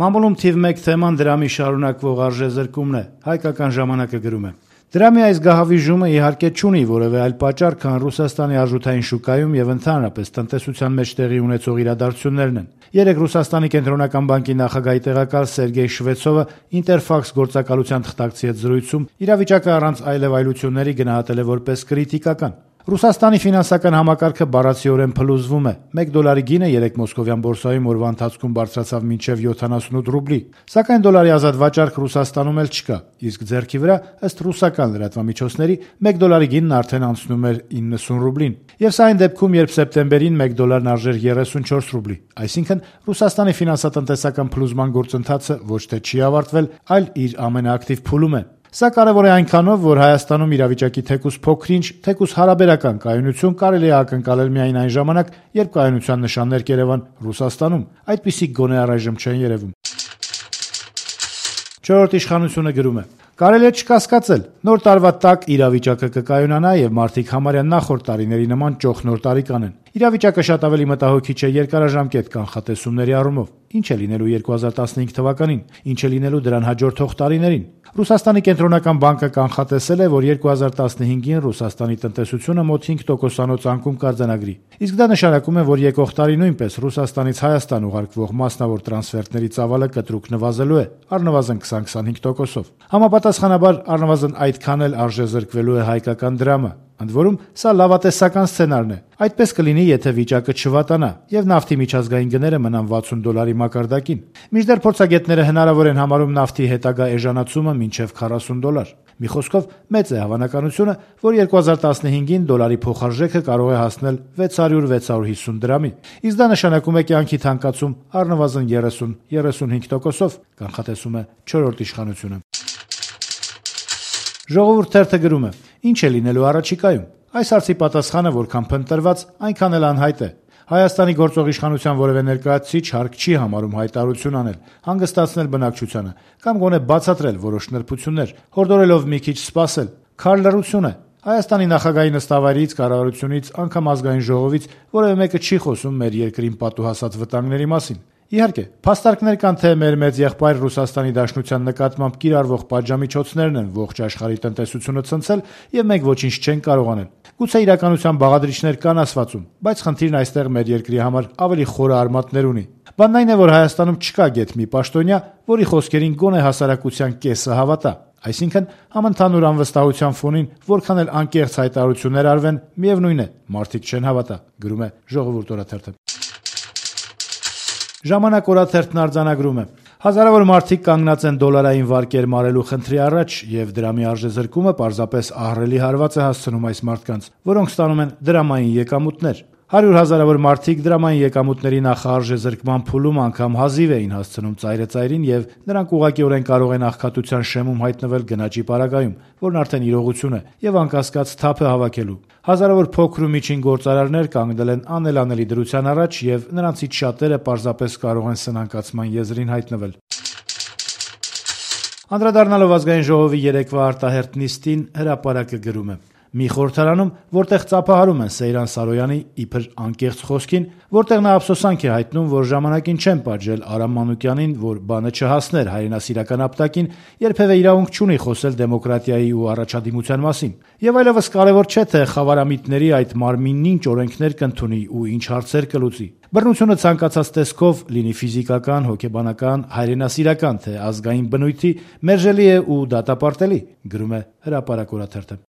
Մամուլում թիվ 1 թեման դրամի շարունակվող արժեզրկումն է, Հայկական ժամանակը գրում է. Դրամի այս գահավիժումը իհարկե չունի որևէ այլ պատճառ, քան Ռուսաստանի արժութային շուկայում եւ ընդհանրապես տնտեսության մեջ տեղի ունեցող իրադարձություններն են։ Երեկ Ռուսաստանի կենտրոնական բանկի նախագահի տեղակալ Սերգեյ Շվեցովը Ինտերֆաքս գործակալության թղթակցի հետ զրույցում իրավիճակը առանց այլևայլությունների գնահատել է որպես կրիտիկական։ Ռուսաստանի ֆինանսական համակարգը բառացիորեն փլուզվում է։ 1 դոլարի գինը երեկ մոսկովյան բորսայում օրվա ընթացքում բարձրացավ մինչև 78 ռուբլի, սակայն դոլարի ազատ վաճառք Ռուսաստանում էլ չկա, իսկ ձեռքի վրա, ըստ ռուսական լրատվամիջոցների, 1 դոլարի գինն արդեն անցնում էր 90 ռուբլին։ Եվ սա այն դեպքում, երբ սեպտեմբերին 1 դոլարն արժեր 34 ռուբլի, այսինքն Ռուսաստանի ֆինանսատնտեսական փլուզման գործընթացը ոչ թե չի ավարտվել, այլ իր ամենաակտիվ փուլում է։ Սա կարևոր է այնքանով, որ Հայաստանում իրավիճակի թեկուզ փոքրինչ, թեկուզ հարաբերական կայունություն կարելի է ակնկալել միայն այն ժամանակ, երբ կայունության նշաններ կերևան Ռուսաստանում, այդպիսիք գոնե առայժմ չեն երևում։ Չորրորդ իշխանությունը գրում է. Կարելի է չկասկածել, նոր տարվա տակ իրավիճակը կկայունանա եւ մարդիկ համարյա նախորդ տարիների նման ճոխ նոր տարի կանեն։ Իրավիճակը շատ ավելի մտահոգիչ է երկարաժամկետ կանխատեսումների առումով։ Ինչ է լինելու 2015 թվականին, ինչ է լինելու դրան հաջորդող տարիներին։ Ռուսաստանի կենտրոնական բանկը կանխատեսել է, որ 2015-ին Ռուսաստանի տնտեսությունը մոտ 5%-անոց անկում կարձանագրի։ Իսկ դա նշանակում է, որ եկող տարի նույնպես Ռուսաստանից Հայաստան ուղարկվող մասնավոր տրանսֆերտների ծավալը կտրուկ նվազելու է, առնվազն 20-25%-ով։ Համապատասխանաբար առնվազն այդքան էլ արժեզրկվելու է հայկական դրամը։ Ընդ որում, սա լավատեսական սցենարն է։ Այդպես կլինի, եթե վիճակը չվատանա եւ նավթի միջազգային գները մնան 60 դոլարի մակարդակին։ Մինչդեռ փորձագետները հնարավոր են համարում նավթի հետագա էժանացումը մինչեւ 40 դոլար։ Մի խոսքով, մեծ է հավանականությունը, որ 2015-ին դոլարի փոխարժեքը կարող է հասնել 600-650 դրամի։ Իսկ դա նշանակում է կյանքի թանկացում առնվազն 30-35%-ով, կանխատեսում է 4-րդ իշխանությունը։ Ժողովուրդ թերթը գրում է. Ինչ է լինելու առաջիկայում։ Այս հարցի պատասխանը որքան փնտրված, այնքան էլ անհայտ է։ Հայաստանի գործող իշխանության որևէ ներկայացուցիչ հարկ չի համարում հայտարարություն անել, հանգստացնել բնակչությանը կամ գոնե բացատրել որոշ նրբություններ, հորդորելով մի քիչ սպասել։ Քար լռություն է։ Հայաստանի նախագահի նստավայրից, կառավարությունից, անգամ ազգային ժողովից որևէ մեկը չի խոսում մեր երկրին պատուհասած վտանգների մասին։ Իհարկե, փաստարկներ կան, թե մեր մեծ եղբայր Ռուսաստանի Դաշնության նկատմամբ կիրառվող պատժամիջոցներն են ողջ աշխարհի տնտեսությունը ցնցել եւ մենք ոչինչ չենք կարող անել։ Գուցե իրականության բաղադրիչներ կան ասվածում, բայց խնդիրն այստեղ մեր երկրի համար ավելի խորը արմատներ ունի։ Բանն այն է, որ Հայաստանում չկա գեթ մի պաշտոնյա, որի խոսքերին գոնե հասարակության կեսը հավատա։ Այսինքն, համընդհանուր անվստահության ֆոնին որքան էլ անկեղծ հայտարարություններ արվեն, միևնույն է, մարդիկ չեն հավատա, գրում է Ժողովուրդ օրաթերթը։ Ժամանակ օրաթերթն արձանագրում է. Հազարավոր մարդիկ կանգնած են դոլարային վարկեր մարելու խնդրի առաջ եւ դրամի արժեզրկումը պարզապես ահռելի հարված է հասցնում այս մարդկանց, որոնք ստանում են դրամային եկամուտներ։ 100,000-ավոր մարդիկ դրամային եկամուտների նախարժեզրկման փուլում անգամ հազիվ էին հասցնում ծայրը-ծայրին եւ նրանք ուղղակիորեն կարող են աղքատության շեմում հայտնվել գնաճի պարագայում, որն արդեն իրողություն է, եւ անկասկած թափ է հավաքելու։ Հազարավոր փոքր ու միջին գործարարներ կանգնել են անելանելի դրության առաջ եւ նրանցից շատերը պարզապես կարող են սնանկացման եզրին հայտնվել։ Անդրադառնալով ազգային ժողովի երեկվա արտահերթ նիստին, հրապարակը գրում է. Մի խորհրդարանում, որտեղ ծափահարում են Սեյրան Սարոյանի իբր անկեղծ խոսքին, որտեղ նա ափսոսանք է հայտնում, որ ժամանակին չեն պատժել Արամ Մանուկյանին, որ բանը չհասներ հայրենասիրական ապտակին, երբևէ իրավունք չունի խոսել դեմոկրատիայի ու առաջադիմության մասին։ Եվ այլևս կարևոր չէ, թե խավարամիտների այդ մարմինն ինչ օրենքներ կընդունի ու ինչ հարցեր կլուծի։ Բռնությունը ցանկացած տեսքով, լինի ֆիզիկական, հոգեբանական, հայրենասիրական, թե ազգային բնույթի, մերժելի է ու դատապարտելի, գրում է Հրապարակ օրաթերթը։